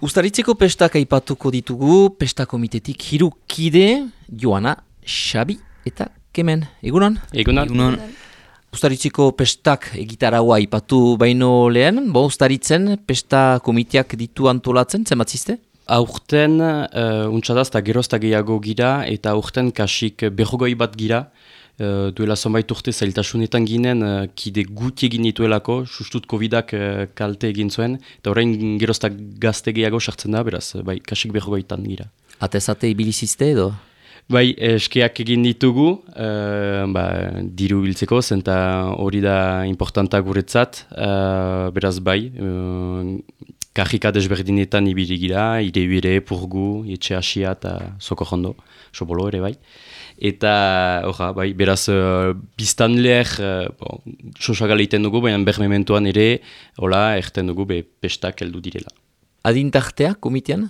Uztaritzeko pestak aipatuko ditugu, pesta komitetik 3 kide, Joana, Xabi eta Kemen. Egunon? Egunon. Uztaritzeko pestak egitaraua aipatu baino lehen, Uztaritzen pesta komiteak ditu antolatzen, zenbatzizte? Aurten untsadaz eta gerozta gehiago gira eta aurten kasik berrogoi bat gira. Duela zonbait urte zailtasunetan ginen, kide guti egin dituelako, sustut Covidak kalte egin zuen, eta orain gerozta gazte gehiago sartzen da, beraz, bai, kasik berrogaitan gira. Atezate ibilizizte edo? Bai, eskeak egin ditugu, diru biltzeko, zenta hori da importanta guretzat, beraz bai, kajika desberdinetan ibili gira, irebire, purgu, etxe hasia eta sokorrondo, sobolo ere bai. Eta, bai, beraz, biztanleer, sosagale iten dugu, baina bermementuan ere, erten dugu, pestak heldu direla. Adintartea, komitean?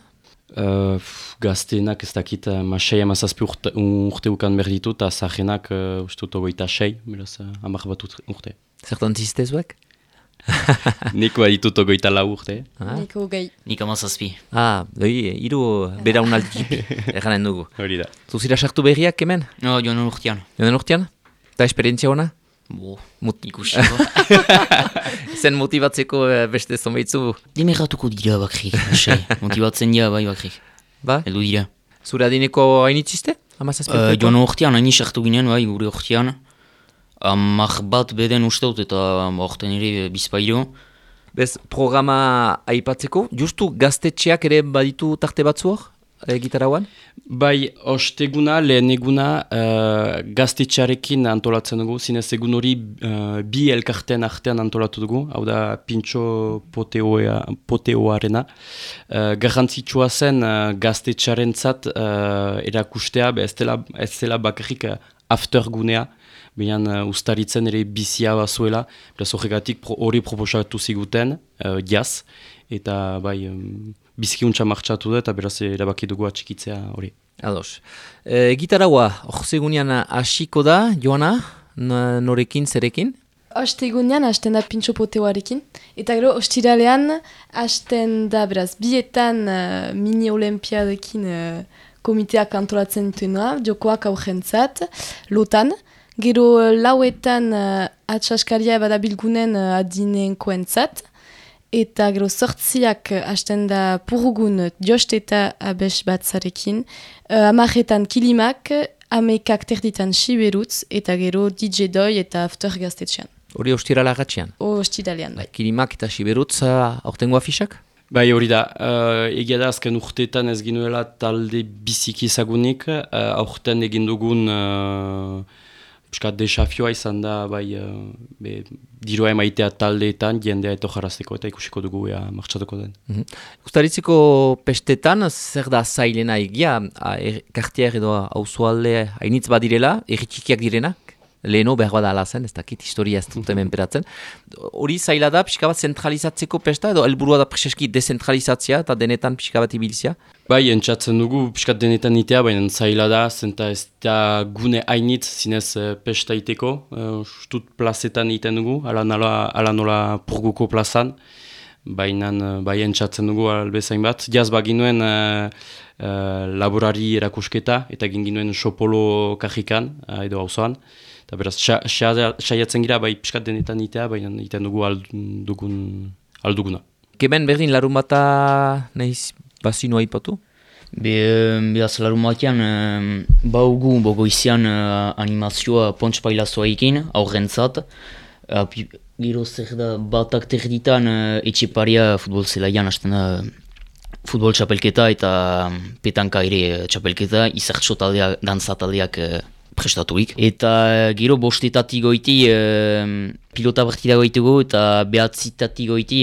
Gazteenak ez dakit, masai amazazpi urte ukan berditu, eta zahenak ustut ogoita 6, beraz, 10 bat urte. Zertan ziztezuek? Niko aditut ogoita 4 urte. Niko gai. Nik 17. Hiru beraunaldi erranen dugu. Hori da. Zuzira sartu berriak, Kemen? No, joan urtean. Joan urtean? Eta esperientzia hona? Ikusi. Zen motibatzeko beste zonbaitzu? Demerratuko dira bakrik, motibatzen dira bai bakrik. Ba? Eldu dira. Zure adineko hainitzizte? Joan urtean, haini sartu ginen, bai, gure urtean. Amak bat beden usteut eta orten ere bizpairo. Bez, programa aipatzeko, justu gaztetxeak ere baditu tarte batzu hor, gitarauan? Bai, osteguna, lehen eguna gaztetxearekin antolatzen dugu, zinez egun hori bi elkarten artean antolatu dugu, hau da Pintxo Poteoarena. Garrantzitsua zen gaztetxearentzat erakustea, ez zela bakarrik aftergunea, baina Uztaritzen ere bizia bazuela, beraz horregatik hori proposatu ziguten, jaz, eta bai, bizkiuntza martxatu da, eta beraz erabaki dugu atxikitzea hori. Ados. Gitaraua, orzegunean hasiko da, Joana, norekin, zerekin? Ostegunean hasten da Pintxo Poteoarekin, eta gero ostiralean hasten da, beraz, bietan mini-olimpiadekin komiteak antolatzen duena, jokoak aurrentzat, lotan. Gero lauetan atxaskaria badabilgunen adinenkoentzat, eta gero 8 hasten da purgun jost eta abes batzarekin, 10 kilimak, 11 terditan siberutz, eta gero DJ Doi eta after gaztetxean. Hori ostirala agatxean? Ostiralean, bai. Kilimak eta siberutz aurtengo afisak? Bai, hori da, egia da azken urteetan ez ginuela talde biziki ezagunik, aurten egin dugun desafioa izan da, dirua emaitea taldeetan, jendea eto jarazteko eta ikusiko dugu martxatuko den. Uztaritzeko pestetan, zer da zailena egia, kartier edo auzoalde hainitz badirela, erritxikiak direnak? Leheno behar bada alazen, ez dakit, historia ez dut hemen peratzen. Hori zaila da, pixka bat zentralizatzeko pesta, edo helburua da preseski dezentralizatzea eta denetan pixka bat ibiltzea? Bai, entzatzen dugu, pixka denetan itea, baina zaila da, zenta ez da gune hainitz zinez pesta iteko. Stut plazetan iten dugu, ala nola purguko plazan, baina bai entzatzen dugu albezain bat. Jaz baginuen laborari erakusketa, eta ginuen Sopolo kajikan, edo auzoan. Eta beraz, saiatzen gira, bai piskat denetan itea, baina iten dugu alduguna. Kemen berdin larun bata nahiz bazinu aipatu? Beraz larun batean, baugu bogoizian animazioa pontspailazoa ekin, aurrentzat. Gero zer da batak terditan etxeparia futbol zelaian hasten da futbol txapelketa eta petanka ere txapelketa, izertxo taldeak, dantza taldeak prestatuik. Eta gero bostetatik goiti pilota partida goitugu eta behatzitatik goiti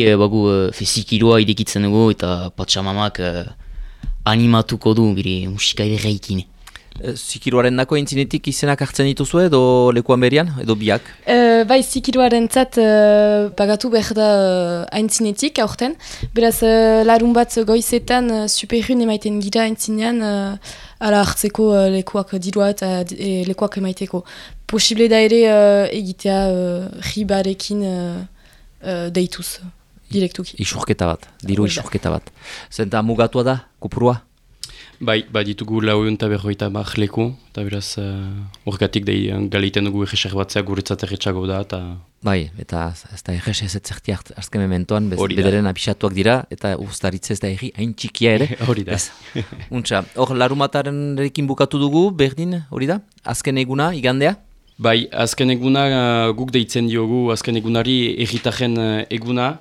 zikiroa idekitzen dugu eta patxamamak animatuko du musika ere reikin. Zikiroaren dako entzinetik izenak hartzen dituzu edo lekuan berian, edo biak? Bai, zikiroaren zat pagatu behar da aintzinetik aurten. Beraz, larun bat goizetan superrun emaiten gira aintzinean ala hartzeko lekuak dirua eta lekuak emaiteko. Posible da ere egitea ribarekin deituz. direktuki. Isurketa bat, diru Hori da. isurketa bat. Zenta mugatua da, kupurua? Bai, ditugu 450 leku, eta beraz, horregatik galeiten dugu egeser batzea guretzat erretxago da, eta... Bai, eta ez da egez ez zerti azken mementoan, Hori da. bederen abisatuak dira, eta ustaritze ez da egi, hain txikia ere. Hori da. Ez. Untxa, hor larumataren erekin bukatu dugu, berdin, hori da? Azken eguna, igandea? Bai, azken eguna guk deitzen diogu, azken egunari egitaren eguna,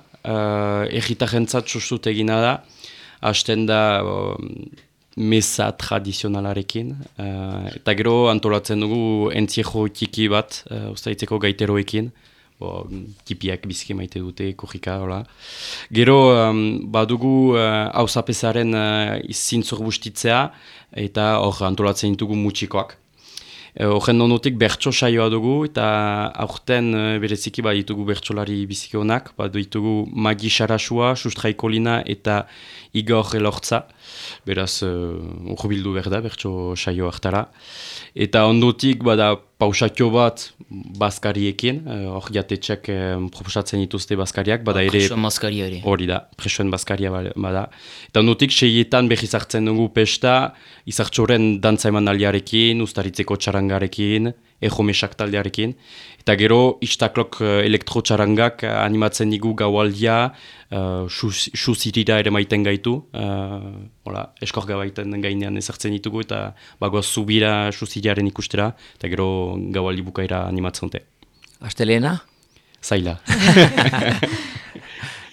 egitaren zat sustut egina da, hasten da mesa tradizionalarekin, eta gero antolatzen dugu entziejo txiki bat, ustaitzeko gaiteroekin, tipiak biziki maite dute, korrika, hola. Gero badugu hausapesaren zintzor bustitzea, eta hor antolatzen ditugu mutxikoak. Horren nonotik bertso saioa dugu, eta aurten bereziki ditugu bertsolari biziki honak, ditugu Magi Sarasua, Sustrai Kolina eta Igor Elortza, beraz urbildu behar da bertso saio hartara. Eta ondotik bada pausatio bat bazkariekin, hor jatetxek proposatzen dituzte bazkariak, bada ere... Presoen bazkaria ere. Hori da, presoen bazkaria bada. Eta ondotik 6etan behiz hartzen dugu pesta, izartxoren dantza emanaldiarekin, ustaritzeko txarangarekin, ejomesak taldearekin. Eta gero, istaklok elektro-txarangak animatzen digu gaualdia, xuzirira ere maiten gaitu, eskorga baiten gainean ezartzen ditugu, eta bagoaz zubira xuziriaren ikustera, eta gero gaualdi bukaira animatzen dute. Astelena? Zaila.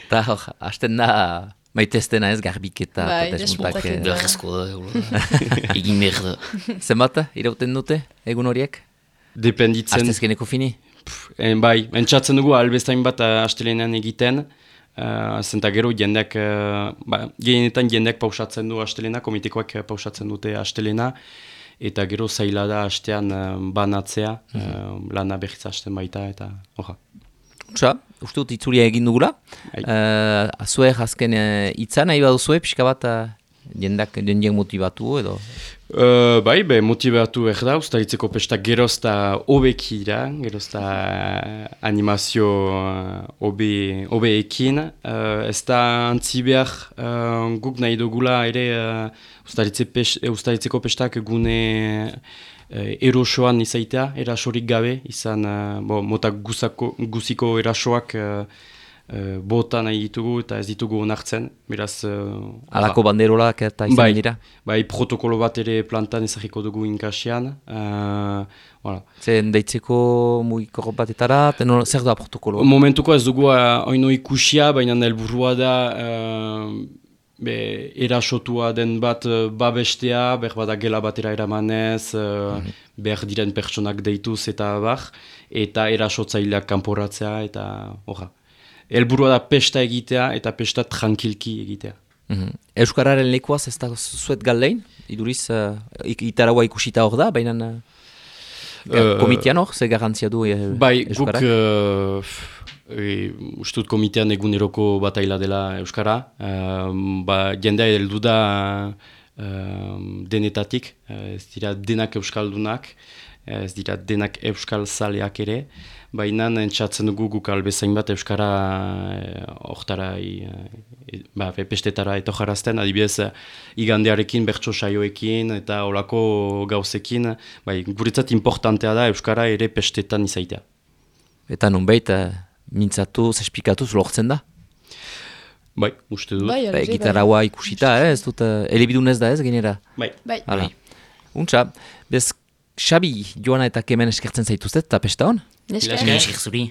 Eta hor, hasten da maiteztena ez garbiketa. Bai, desmuntak, desmuntaketa. Beharrezko da, egin behar da. Zenbat, irauten dute, egun horiek? Dependitzen... Astezkeneko fini? Bai, entzatzen dugu albestain bat astelenean egiten, zenta gero jendeak, gehienetan jendeak pausatzen du astelena, komitekoak pausatzen dute astelena, eta gero zaila da astean banatzea, lana berriz hasten baita, eta horra. Untsa, uste dut itzulia egin dugula. Azuek azken hitza nahi baduzue, pixka bat jendeak motibatu edo? Bai, motibatu behar da, ustaritzeko pestak gerozta hobeki da, gerozta animazio hobeekin. Ez da antzi behar guk nahi dugula ere ustaritzeko pestak gune erosoan izaitea, erasorik gabe, izan mota guziko erasoak bota nahi ditugu eta ez ditugu onartzen, beraz... Alako banderolak eta izan dira? Bai, protokolo bat ere plantan ezagiko dugu inkasian. Zen deitzeko mugiko batetara, zer da protokolo? Momentuko ez dugu oino ikusia, baina helburua da erasotua den bat babestea, behar gela batera eramanez, behar diren pertsonak deituz eta eta erasotzaileak kanporatzea eta horra. Helburua da pesta egitea eta pesta tranquilki egitea. Euskararen lekuaz ez da zuet galdein? Iduriz, itaraua ikusita hor da, baina komitean hor, ze garantzia du Euskarak? Bai, guk ustut komitean eguneroko bataila dela Euskara. Jendea heldu da denetatik, ez dira denak euskaldunak, ez dira denak euskal zaleak ere. Baina entzatzen dugu guk albezain bat Euskara hortara, pestetara etojarazten, adibidez igandearekin, bertso saioekin eta olako gauzekin, guretzat importantea da Euskara ere pestetan izaitea. Eta nonbait, mintzatu, zespikatuz lortzen da? Bai, uste dut. Gitaraua ikusita, ez dut, elebidunez da ez, genera? Bai. Untsa, bez, Xabi, Joana eta Kemen eskertzen zaituztet, eta pesta hon? Neska. Zuri.